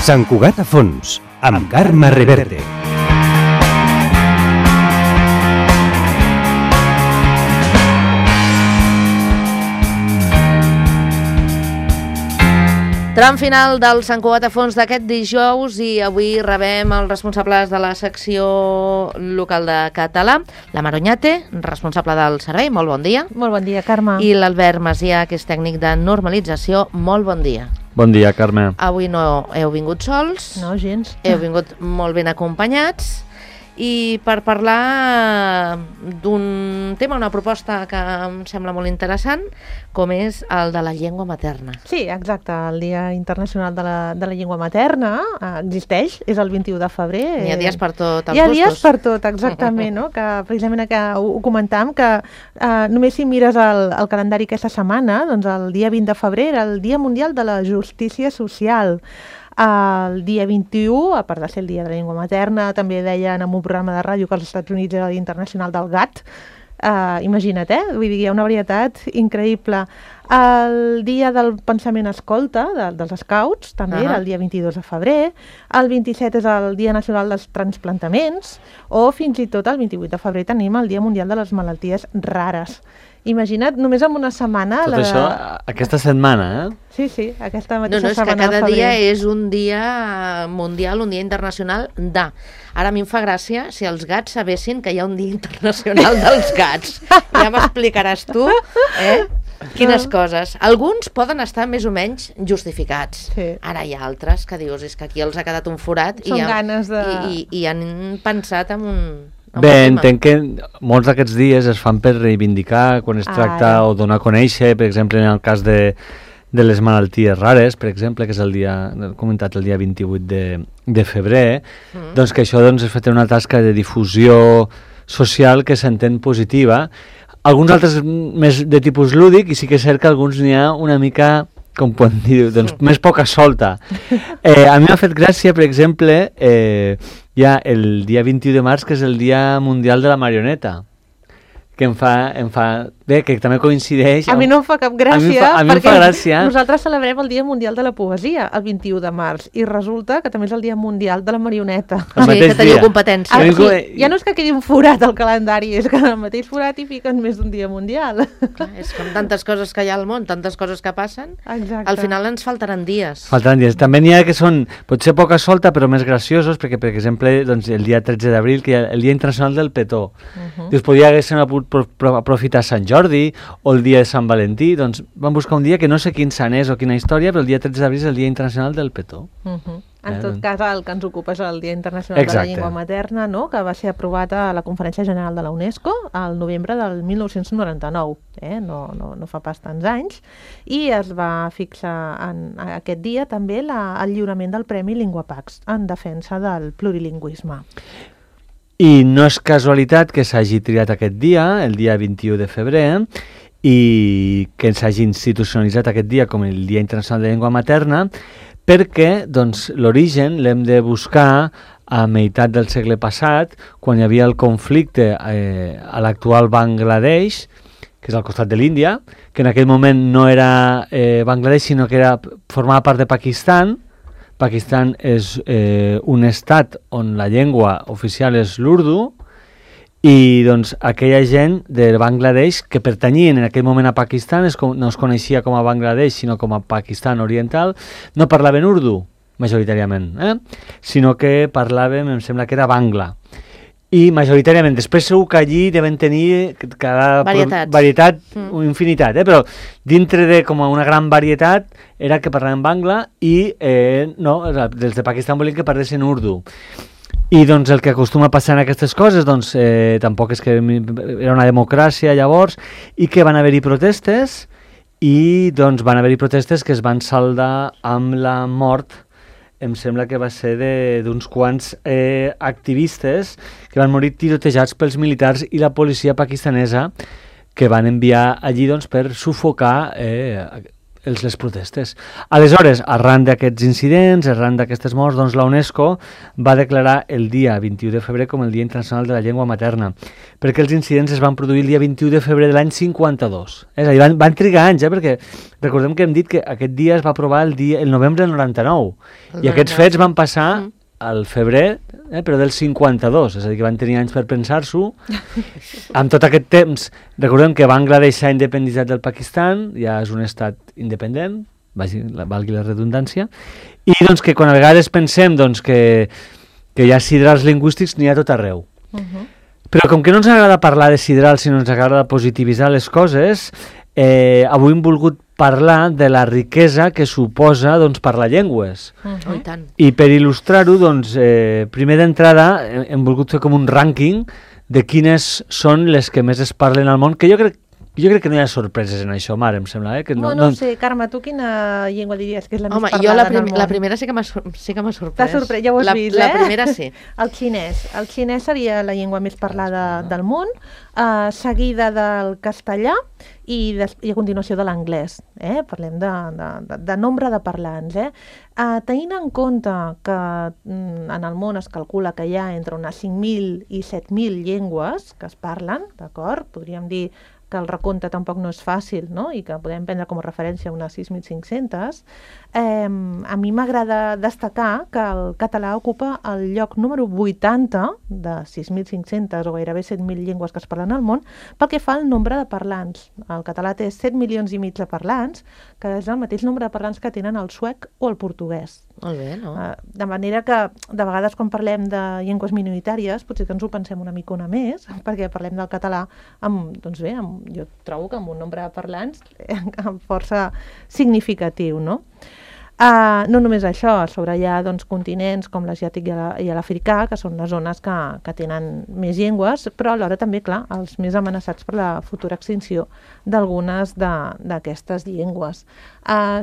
Sant Cugat a fons, amb Carme Reverte. Tram final del Sant Cugat a fons d'aquest dijous i avui rebem els responsables de la secció local de català, la Maroñate, responsable del servei, molt bon dia. Molt bon dia, Carme. I l'Albert Macià, que és tècnic de normalització, molt bon dia. Bon dia, Carme. Avui no heu vingut sols. No, gens. Heu vingut molt ben acompanyats. I per parlar d'un tema, una proposta que em sembla molt interessant, com és el de la llengua materna. Sí, exacte. El Dia Internacional de la Llengua Materna existeix, és el 21 de febrer. Hi ha dies per tot, els Hi ha gustos. dies per tot, exactament, no? Que precisament que ho comentàvem, que només si mires el calendari aquesta setmana, doncs el dia 20 de febrer era el Dia Mundial de la Justícia Social. El dia 21, a part de ser el dia de la llengua materna, també deien en un programa de ràdio que als Estats Units era el Dia Internacional del Gat. Imagina't, vull dir, hi ha una varietat increïble. El dia del pensament escolta, dels scouts, també era el dia 22 de febrer. El 27 és el Dia Nacional dels Transplantaments, o fins i tot el 28 de febrer tenim el Dia Mundial de les Malalties Rares. Imagina't, només en una setmana... Tot això, aquesta setmana, Sí, aquesta mateixa setmana de febrer. No, és que cada dia és un dia mundial, un dia internacional de... Ara a mi em fa gràcia si els gats sabessin que hi ha un dia internacional dels gats. Ja m'explicaràs tu, quines coses. Alguns poden estar més o menys justificats. Sí. Ara hi ha altres que dius, és que aquí els ha quedat un forat i han pensat en un... Bé, entenc que molts d'aquests dies es fan per reivindicar quan es tracta o donar a conèixer, per exemple, en el cas de les malalties rares, per exemple, que és el dia, he comentat el dia 28 de febrer, doncs que això és fet una tasca de difusió social que s'entén positiva. Alguns altres més de tipus lúdic, i sí que és cert que alguns n'hi ha una mica, com podem dir, doncs més poca solta. A mi m'ha fet gràcia, per exemple, hi ha el dia 21 de març, que és el Dia Mundial de la Marioneta, que em fa... Bé, que també coincideix... A mi no em fa cap gràcia, a mi em fa gràcia. Nosaltres celebrem el Dia Mundial de la Poesia, el 21 de març, i resulta que també és el Dia Mundial de la Marioneta. Sí, que teniu competència. Ja no és que quedi un forat al calendari, és que en el mateix forat hi fiquen més d'un Dia Mundial. Clar, és com tantes coses que hi ha al món, tantes coses que passen, exacte. Al final ens faltaran dies. Faltaran dies. També n'hi ha que són, potser poca solta, però més graciosos, perquè, per exemple, doncs, el dia 13 d'abril, que hi ha el Dia Internacional del Petó. Dius, podria haver aprofitar Sant Jordi o el dia de Sant Valentí, doncs vam buscar un dia que no sé quin sant és o quina història, però el dia 13 d'abril és el Dia Internacional del Petó. En tot cas, el que ens ocupa és el Dia Internacional de la Llengua Materna, no? Que va ser aprovat a la Conferència General de la UNESCO al novembre del 1999, no fa pas tants anys, i es va fixar en aquest dia també el lliurament del Premi LinguaPax en defensa del plurilingüisme. I no és casualitat que s'hagi triat aquest dia, el dia 21 de febrer, i que s'hagi institucionalitzat aquest dia com el Dia Internacional de la Llengua Materna, perquè doncs, l'origen l'hem de buscar a meitat del segle passat, quan hi havia el conflicte a l'actual Bangladesh, que és al costat de l'Índia, que en aquell moment no era Bangladesh, sinó que formava part de Pakistan. Pakistan és un estat on la llengua oficial és l'urdu, i doncs aquella gent de Bangladesh que pertanyien en aquell moment a Pakistan, no es coneixia com a Bangladesh sinó com a Pakistan Oriental, no parlaven urdu majoritàriament, sinó que parlaven, em sembla que era bangla. I majoritàriament, després segur que allí deven tenir cada varietat, una infinitat, però dintre de com una gran varietat era que parlaven bangla i no, dels de Pakistan volien que parlessin urdu. I doncs el que acostuma a passar en aquestes coses, doncs tampoc és que era una democràcia llavors, i que van haver-hi protestes, i doncs van haver-hi protestes que es van saldar amb la mort, em sembla que va ser d'uns quants activistes que van morir tirotejats pels militars i la policia pakistanesa, que van enviar allí doncs, per sufocar les protestes. Aleshores, arran d'aquests incidents, arran d'aquestes morts, doncs la UNESCO va declarar el dia 21 de febrer com el Dia Internacional de la Llengua Materna, perquè els incidents es van produir el dia 21 de febrer de l'any 52. És a dir, van trigar anys, perquè recordem que hem dit que aquest dia es va aprovar el novembre del 99, i aquests fets van passar al febrer, però del 52, és a dir, que van tenir anys per pensar-s'ho. Amb tot aquest temps, recordem que Bangladesh s'ha independitzat del Pakistan, ja és un estat independent, valgui la redundància, i doncs que quan a vegades pensem doncs, que hi ha sidrals lingüístics, n'hi ha tot arreu. Però com que no ens agrada parlar de sidrals, sinó ens agrada positivitzar les coses, avui hem volgut parlar de la riquesa que suposa doncs, parlar llengües. I tant. I per il·lustrar-ho, doncs, primer d'entrada hem volgut fer com un rànquing de quines són les que més es parlen al món, que jo crec que no hi ha sorpreses en això, Mar, em sembla. Que no sé, Carme, tu quina llengua diries que és la més parlada en el món? La primera sí que m'ha sorprès. T'ha sorprès, ja ho has vist, La primera sí. El xinès seria la llengua més parlada del món, seguida del castellà i a continuació de l'anglès. Parlem de nombre de parlants. Tenint en compte que en el món es calcula que hi ha entre unes 5.000 i 7.000 llengües que es parlen, d'acord? Podríem dir que el recompte tampoc no és fàcil, no? I que podem prendre com a referència unes 6.500, a mi m'agrada destacar que el català ocupa el lloc número 80 de 6.500 o gairebé 7.000 llengües que es parlen al món pel que fa al nombre de parlants. El català té 7 milions i mig de parlants, que és el mateix nombre de parlants que tenen el suec o el portuguès. Molt bé, no? De manera que, de vegades, quan parlem de llengües minoritàries, potser que ens ho pensem una micona més, perquè parlem del català doncs bé, jo trobo que amb un nombre de parlants força significatiu, no? No només això, a sobre hi ha doncs, continents com l'asiàtic i l'africà, que són les zones que tenen més llengües, però alhora també, clar, els més amenaçats per la futura extinció d'algunes d'aquestes llengües.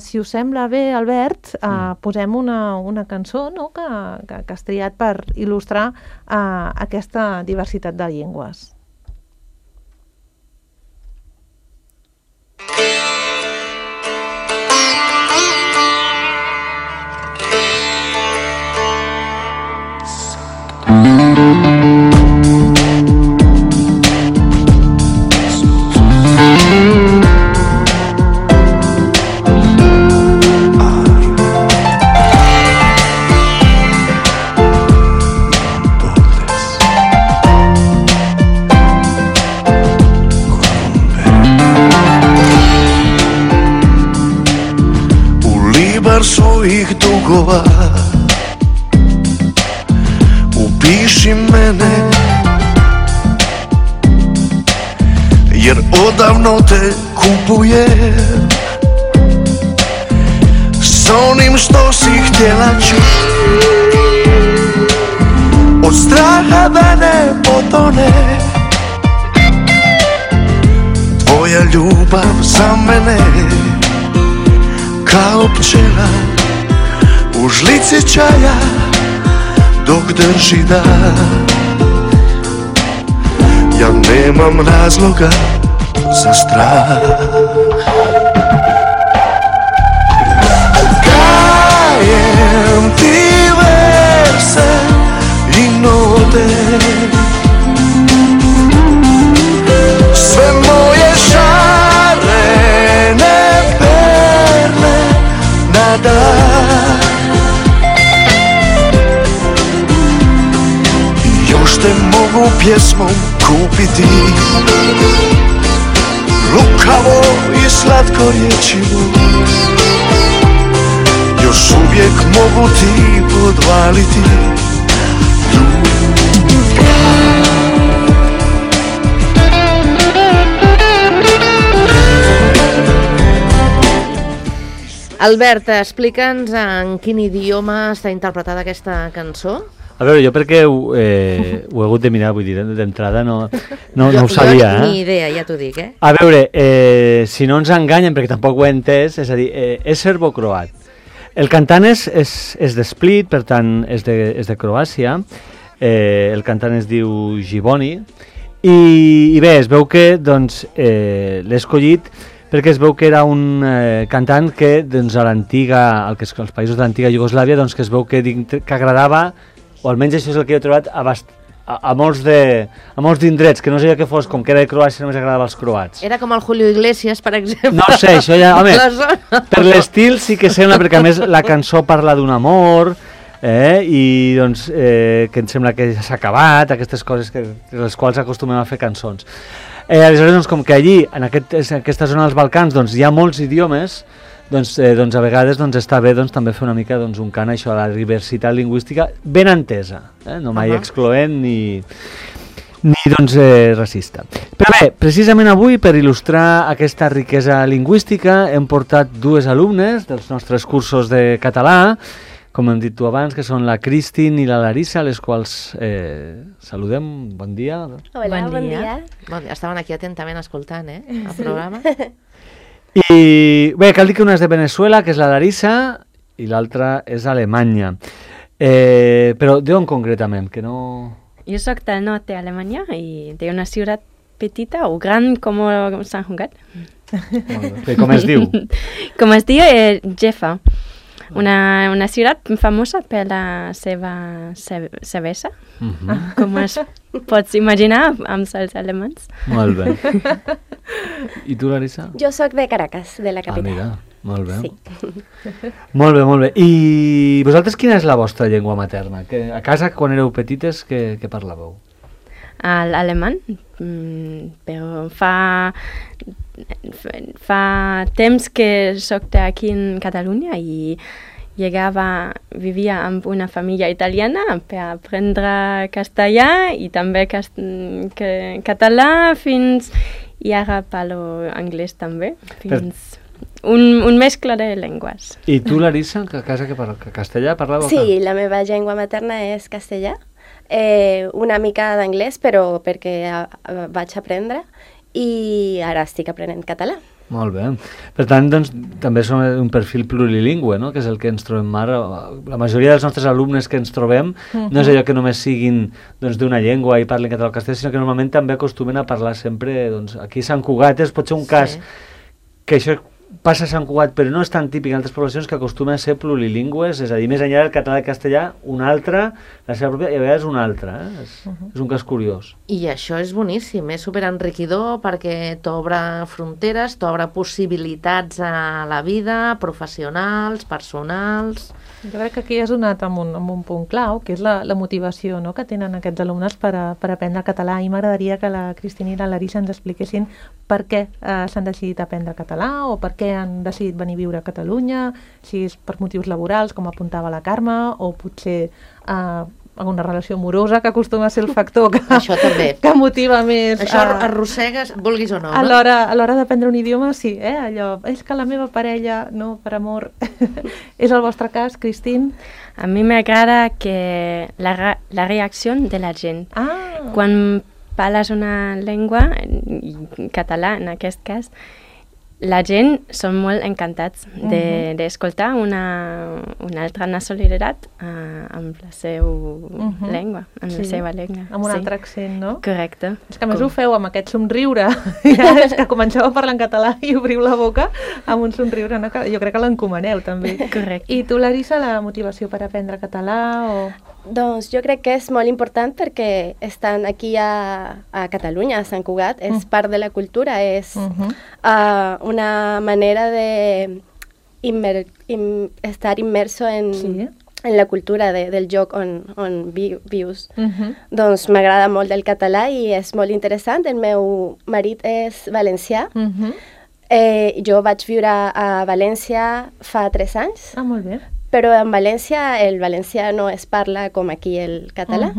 Si us sembla bé, Albert, posem una cançó, no?, que has triat per il·lustrar aquesta diversitat de llengües. Svojih dugova upiši mene, jer odavno te kupujem s onim što si htjela čuti. Od straha da ne potone tvoja ljubav za mene, kao pčela u žlici čaja dok drži dah. Ja nemam razloga za strah. Kajem ti verse i note, sve moje šarene perle na dan. Još te mogu pjesmom kupiti, lukavo i slatko rječivo. Još uvijek mogu ti podvaliti Albert, explica'ns en quin idioma està interpretada aquesta cançó. A veure, jo perquè ho he hagut de mirar, vull dir, d'entrada no ho sabia. Jo ni idea, ja t'ho dic, A veure, si no ens enganyen, perquè tampoc ho he entès, és a dir, és serbo-croat. El cantant és de Split, per tant, és de Croàcia. El cantant es diu Giboni. I bé, es veu que doncs, l'he escollit perquè es veu que era un cantant que doncs, a l'antiga, als països de l'antiga Iugoslàvia, doncs, que es veu que agradava, o almenys això és el que he trobat, a molts d'indrets, que no sé que fos com que era de Croàcia, només agradava als croats. Era com el Julio Iglesias, per exemple. No sé, això ja... Home, per l'estil sí que sembla, perquè a més la cançó parla d'un amor, i doncs que em sembla que ja s'ha acabat, aquestes coses les quals acostumem a fer cançons. Aleshores, doncs, com que allí, en aquesta zona dels Balcans, doncs, hi ha molts idiomes, doncs a vegades doncs, està bé doncs, també fer una mica doncs, un cant això, a la diversitat lingüística ben entesa, no mai excloent ni doncs, racista. Però bé, precisament avui, per il·lustrar aquesta riquesa lingüística, hem portat dues alumnes dels nostres cursos de català, com hem dit tu abans, que són la Cristin i la Larissa, les quals saludem. Bon dia. Hola, bon dia. Bon dia. Estaven aquí atentament escoltant, el programa. I bé, cal dir que una és de Venezuela, que és la Larissa, i l'altra és Alemanya. Però d'on concretament? Que no... Jo soc del nord d'Alemanya i d'una ciutat petita o gran com Sant Cugat. Com es diu? Com es diu Jeffa. Una ciutat famosa per la seva cervesa, com es pots imaginar amb els alemans. Molt bé. I tu, Larissa? Jo sóc de Caracas, de la capital. Mira, molt bé. Sí. Molt bé. I vosaltres quina és la vostra llengua materna? Que a casa, quan éreu petites, què parlàveu? L'alemany, però fa temps que soc aquí en Catalunya i vivia amb una família italiana per aprendre castellà i també català i ara parlo anglès també, fins un mescla de llengües. I tu, Larissa, a casa que castellà parlàveu? Sí, la meva llengua materna és castellà. Una mica d'anglès, però perquè vaig aprendre i ara estic aprenent català. Molt bé. Per tant, doncs, també som un perfil plurilingüe, no? Que és el que ens trobem ara. La majoria dels nostres alumnes que ens trobem no és allò que només siguin doncs, d'una llengua i parlin català o castellà, sinó que normalment també acostumen a parlar sempre, doncs, aquí a Sant Cugat pot ser un cas que això passa a Sant Cugat, però no és tan típic en altres poblacions, que acostumen a ser plurilingües, és a dir, més enllà del català i castellà, un altre, la seva pròpia, i a vegades un altre. És un cas curiós. I això és boníssim, és superenriquidor perquè t'obre fronteres, t'obre possibilitats a la vida, professionals, personals... Jo crec que aquí has donat amb un punt clau, que és la motivació, no?, que tenen aquests alumnes per aprendre català, i m'agradaria que la Cristina i la Larissa ens expliquessin per què s'han decidit aprendre català o per què han decidit venir a viure a Catalunya, si és per motius laborals, com apuntava la Carme, o potser alguna relació amorosa, que acostuma a ser el factor això també, que motiva més. Això arrossegues, vulguis o no, a l'hora d'aprendre un idioma, sí, allò, és que la meva parella, no, per amor. És el vostre cas, Cristín? A mi m'agrada que la reacció de la gent. Quan parles una llengua, català en aquest cas, la gent són molt encantats d'escoltar una altra nacionalitat amb la seva llengua, amb la seva llengua. Amb un altre accent, no? Correcte. És que a més ho feu amb aquest somriure. És que comenceu a parlar en català i obriu la boca amb un somriure. No? Jo crec que l'encomaneu, també. Correcte. I tu, Larissa, la motivació per aprendre català o... Doncs jo crec que és molt important perquè estan aquí a Catalunya, a Sant Cugat, és part de la cultura, és una manera de estar immerso en la cultura del lloc on vius. Doncs m'agrada molt el català i és molt interessant. El meu marit és valencià. Jo vaig viure a València fa 3 anys. Molt bé. Però en València el valencià no es parla com aquí el català.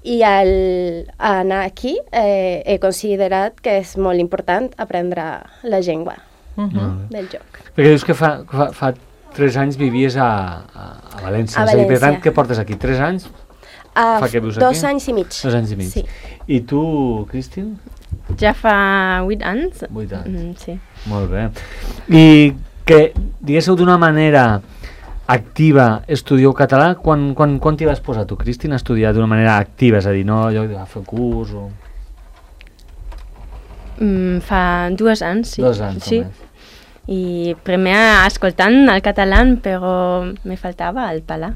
I al anar aquí he considerat que és molt important aprendre la llengua del lloc. Perquè dius que fa 3 anys vivies a València. A València. Per tant, què portes aquí? 3 anys? Fa que vius aquí? 2 anys i mig. 2 anys i mig. Sí. I tu, Cristín? Ja fa 8 anys. 8 anys. Sí. Molt bé. I que diguéssiu d'una manera activa estudieu català, quan t'hi vas posar tu, Cristina, a estudiar d'una manera activa, és a dir, no allò de fer curs o... Fa 2 anys, sí. 2 anys, sí. I primer escoltant el català, però me faltava el parlar.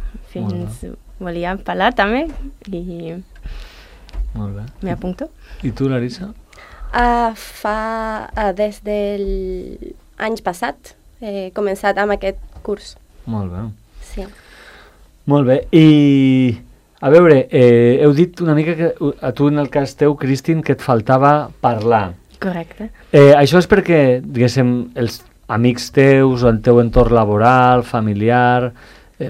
Volia parlar també i me apunto. I tu, Larissa? Des del any passat he començat amb aquest curs. Molt bé. Sí. Molt bé. I, a veure, heu dit una mica que a tu, en el cas teu, Cristin, que et faltava parlar. Correcte. Això és perquè, diguéssim, els amics teus o el teu entorn laboral, familiar,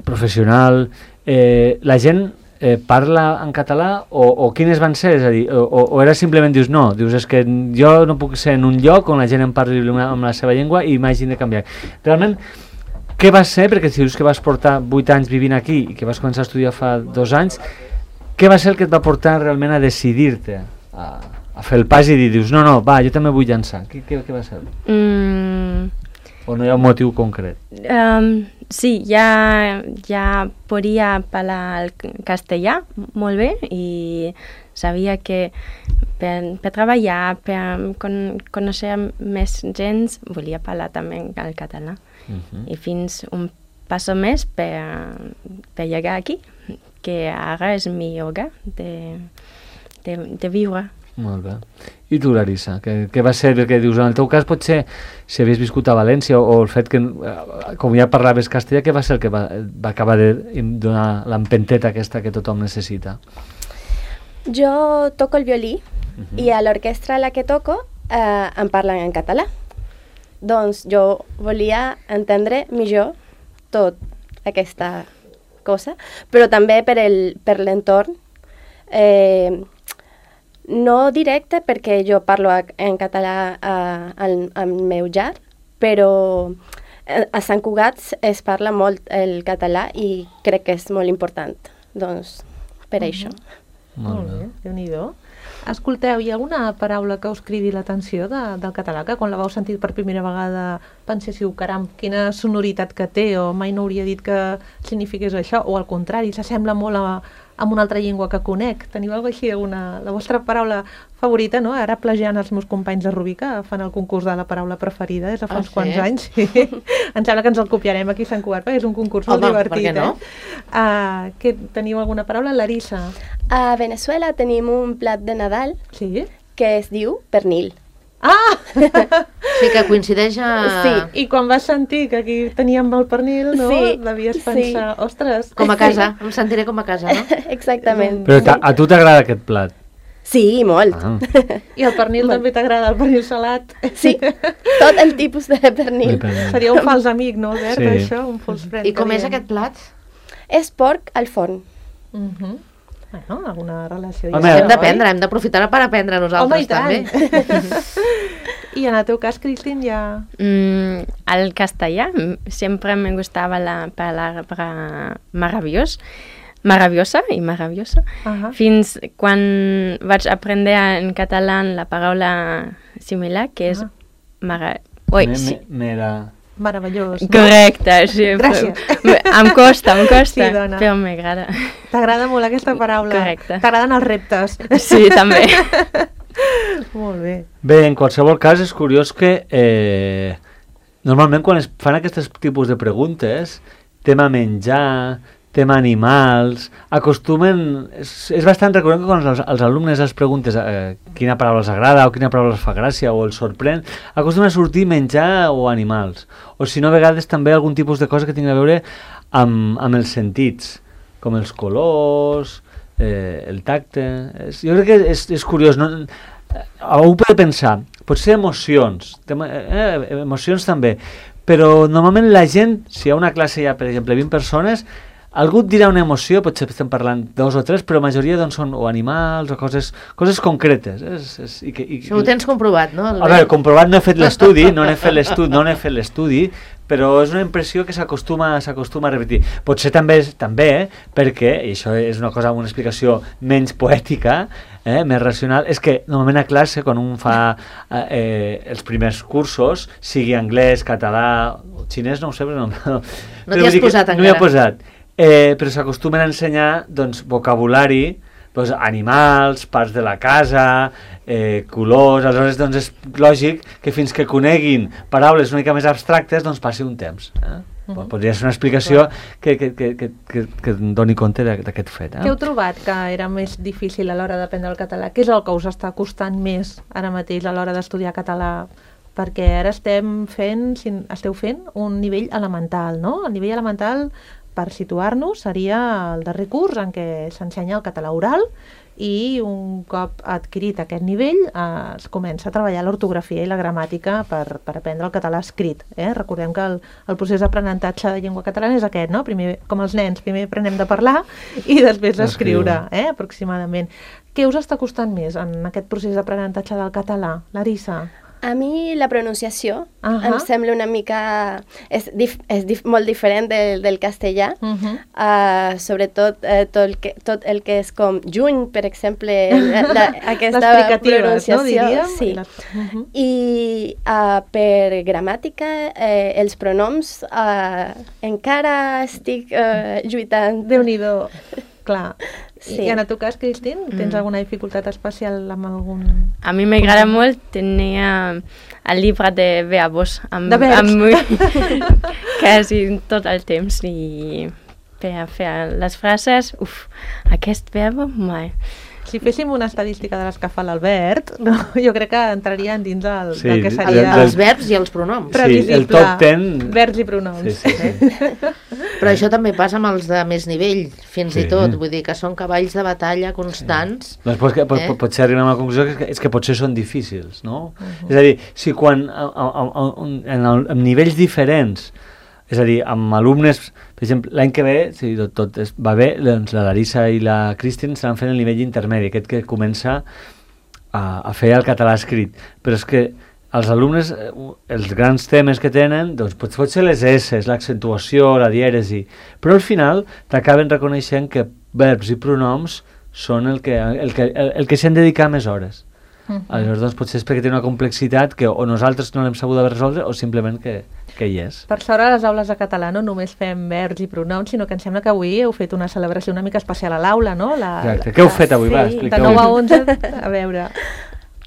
professional, la gent parla en català o quines van ser? És a dir, o era simplement dius no, dius és que jo no puc ser en un lloc on la gent em parli amb la seva llengua i m'hagin de canviar. Realment, què va ser? Perquè si dius que vas portar 8 anys vivint aquí i que vas començar a estudiar fa 2 anys, què va ser el que et va portar realment a decidir-te a fer el pas i dir, dius, no, va, jo també vull llançar. Què va ser? O no hi ha un motiu concret? Sí, ja podia parlar el castellà molt bé i sabia que per treballar, per conèixer més gent, volia parlar també el català. I fins un pas més per llegar aquí, que ara és mi hogar de viure. Molt bé. I tu, Larissa, què va ser el que dius? En el teu cas, potser, si havies viscut a València o el fet que, com ja parlaves castellà, què va ser el que va acabar de donar l'empenteta aquesta que tothom necessita? Jo toco el violí i a l'orquestra a la que toco em parlen en català. Doncs jo volia entendre millor tot aquesta cosa, però també per l'entorn. No directe, perquè jo parlo en català al meu llar, però a Sant Cugat es parla molt el català i crec que és molt important, doncs, per això. Molt bé, Déu-n'hi-do. Escolteu, hi ha alguna paraula que us cridi l'atenció del català, que quan la vau sentir per primera vegada penséssiu, caram, quina sonoritat que té, o mai no hauria dit que signifiqués això, o al contrari, s'assembla molt amb una altra llengua que conec. Teniu alguna cosa així, la vostra paraula favorita, no? Ara plagiant els meus companys de Rubí, que fan el concurs de la paraula preferida des de fa uns quants anys. Sí. Em sembla que ens el copiarem aquí a Sant Cugat, perquè és un concurs molt divertit. Per què no? Teniu alguna paraula? Larissa? A Venezuela tenim un plat de Nadal que es diu pernil. Ah! Sí, que coincideix a... Sí. I quan vas sentir que aquí teníem el pernil, no? Devies pensar, ostres... Com a casa, em sentiré com a casa, no? Exactament. Però a tu t'agrada aquest plat? Sí, molt. I el pernil també t'agrada, el pernil salat? Sí, tot el tipus de pernil. Seria un fals amic, no, Albert, això? Un fals friend. I com és aquest plat? És porc al forn. Bueno, alguna relació... Hem d'aprendre, hem d'aprofitar per aprendre nosaltres també. I en el teu cas, Cristin, ja... El castellà, sempre me gustava la palabra maravillosa i maravillosa. Fins quan vaig aprendre en català la paraula similar, que és meravellós. Correcte, sí. Gràcies. Em costa, sí, però m'agrada. T'agrada molt aquesta paraula? Correcte. T'agraden els reptes? Sí, també. Molt bé. Bé, en qualsevol cas és curiós que normalment quan es fan aquests tipus de preguntes, tema menjar, tema animals, acostumen... És bastant recurrent que quan els alumnes els preguntes quina paraula els agrada o quina paraula els fa gràcia o els sorprèn, acostumen a sortir menjar o animals. O si no, a vegades també algun tipus de cosa que tingui a veure amb els sentits, com els colors, el tacte... Jo crec que és curiós. Algú pot pensar, potser emocions, emocions també, però normalment la gent, si hi ha una classe ja, per exemple, 20 persones, algú et dirà una emoció, potser estem parlant 2 o 3, però la majoria doncs, són o animals o coses concretes. Això ho tens comprovat, no? A veure, comprovat no he fet l'estudi, no n'he fet l'estudi, però és una impressió que s'acostuma a repetir. Potser també perquè, i això és una cosa amb una explicació menys poètica, més racional, és que normalment a classe, quan un fa els primers cursos, sigui anglès, català, xinès, no ho sé, però no t'hi has posat encara. No m'hi he posat. Però s'acostumen a ensenyar doncs, vocabulari doncs, animals, parts de la casa, colors, aleshores doncs és lògic que fins que coneguin paraules una mica més abstractes doncs passi un temps. Podria ser una explicació que doni compte d'aquest fet. Què heu trobat que era més difícil a l'hora d'aprendre el català? Què és el que us està costant més ara mateix a l'hora d'estudiar català? Perquè ara esteu fent un nivell elemental, no? El nivell elemental, per situar-nos, seria el darrer curs en què s'ensenya el català oral i un cop adquirit aquest nivell es comença a treballar l'ortografia i la gramàtica per aprendre el català escrit. Recordem que el procés d'aprenentatge de llengua catalana és aquest, no? Primer, com els nens, primer aprenem de parlar i després d'escriure, aproximadament. Què us està costant més en aquest procés d'aprenentatge del català, Larissa? A mi la pronunciació em sembla una mica... És molt diferent del castellà, sobretot tot el que és com juny, per exemple, aquesta pronunciació. No, sí. I per gramàtica, els pronoms encara estic lluitant. Déu-n'hi-do, clar. Sí. I en el teu cas, Cristín, tens alguna dificultat especial amb algun... A mi m'agrada molt tenir el llibre de verbos amb mi quasi tot el temps i per fer les frases, aquest verb mai. Si féssim una estadística de les que fa l'Albert, jo crec que entrarien dins del que seria... Els verbs i els pronoms. Sí, el top 10... Verbs i pronoms. Sí. Però això també passa amb els de més nivell, fins i tot. Vull dir que són cavalls de batalla constants. Potser arribem a la conclusió que és que potser són difícils, no? És a dir, si quan en nivells diferents, és a dir, amb alumnes, per exemple, l'any que ve, si tot va bé, doncs la Larissa i la Cristín estaran fent el nivell intermedi, aquest que comença a fer el català escrit. Però és que els alumnes, els grans temes que tenen, doncs pot ser les S, l'accentuació, la dièresi, però al final t'acaben reconeixent que verbs i pronoms són el que s'han de dedicar més hores. Aleshores, doncs, potser és perquè té una complexitat que o nosaltres no l'hem sabut resoldre o simplement que hi és. Per sort, a les aules de català no només fem verbs i pronoms, sinó que em sembla que avui heu fet una celebració una mica especial a l'aula, no? Exacte. Què heu fet avui? Va, expliqueu. De 9 a 11, a veure...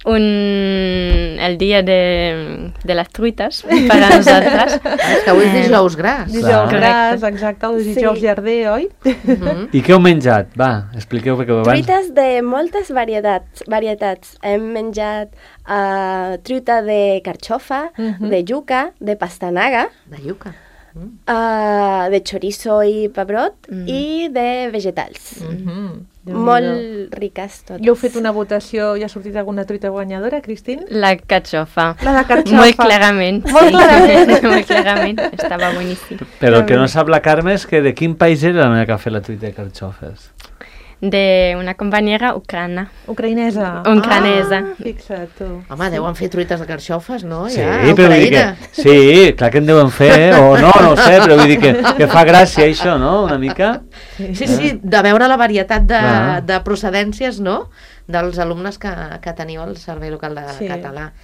El dia de les truites per a nosaltres. És que avui és dijous gras. Dijous gras, exacte, el dijous llarder, oi? I què heu menjat? Va, expliqueu perquè abans... Truites de moltes varietats. Hem menjat truita de carxofa, de yuca, de pastanaga, de yuca, de chorizo i pebrot i de vegetals. Molt riques totes. I heu fet una votació i ha sortit alguna truita guanyadora, Cristín? La carxofa. La de carxofa. Molt clarament. Molt clarament. Molt clarament. Estava boníssim. Però el que no sap la Carme és que de quin país era la meva que ha fet la truita de carxofes? De una companyera ucraïnesa. Ucranesa. Fixa't tu. Home, deuen fer truites de carxofes, no? Sí, però vull dir que... Sí, clar que en deuen fer, o no ho sé, però vull dir que fa gràcia això, no?, una mica. Sí, de veure la varietat de procedències, no?, dels alumnes que teniu al Servei Local de Català.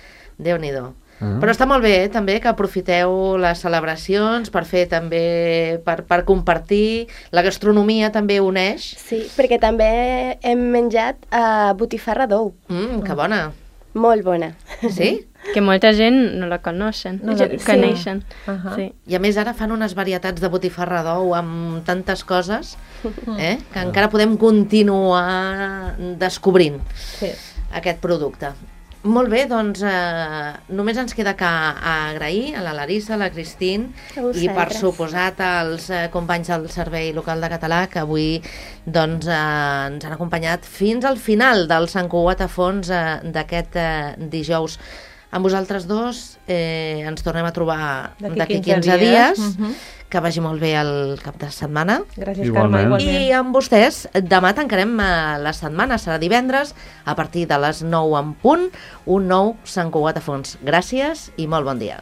Déu-n'hi-do. Però està molt bé, també, que aprofiteu les celebracions per fer també, per compartir. La gastronomia també uneix. Sí, perquè també hem menjat botifarra d'ou. Que bona. Molt bona. Sí? Que molta gent no la coneixen. Sí. I a més ara fan unes varietats de botifarra d'ou amb tantes coses que encara podem continuar descobrint aquest producte. Molt bé, doncs només ens queda que agrair a la Larissa, a la Cristín i per suposat als companys del Servei Local de Català que avui doncs, ens han acompanyat fins al final del Sant Cugat a fons d'aquest dijous. Amb vosaltres dos ens tornem a trobar d'aquí 15 dies. Que vagi molt bé el cap de setmana. Gràcies, Carme, igualment. I amb vostès, demà tancarem la setmana, serà divendres, a partir de les 9 en punt, un nou Sant Cugat a fons. Gràcies i molt bon dia.